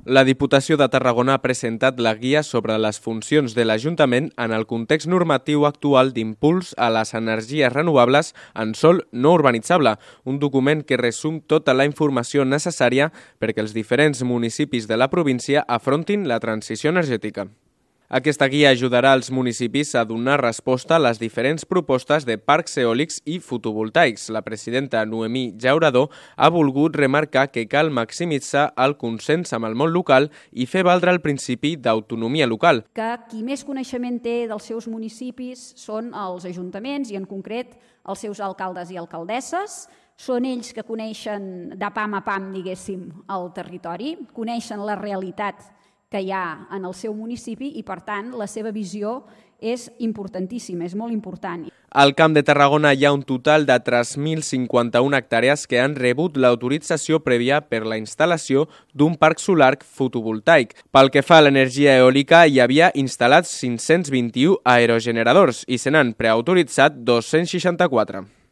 La Diputació de Tarragona ha presentat la guia sobre les funcions de l'Ajuntament en el context normatiu actual d'impuls a les energies renovables en sòl no urbanitzable, un document que resum tota la informació necessària perquè els diferents municipis de la província afrontin la transició energètica. Aquesta guia ajudarà als municipis a donar resposta a les diferents propostes de parcs eòlics i fotovoltaics. La presidenta Noemí Llaurador ha volgut remarcar que cal maximitzar el consens amb el món local i fer valdre el principi d'autonomia local. Que qui més coneixement té dels seus municipis són els ajuntaments i en concret els seus alcaldes i alcaldesses. Són ells que coneixen de pam a pam, diguéssim, el territori, coneixen la realitat que hi ha en el seu municipi i, per tant, la seva visió és importantíssima, és molt important. Al Camp de Tarragona hi ha un total de 3.051 hectàrees que han rebut l'autorització prèvia per la instal·lació d'un parc solar fotovoltaic. Pel que fa a l'energia eòlica, hi havia instal·lats 521 aerogeneradors i se n'han preautoritzat 264.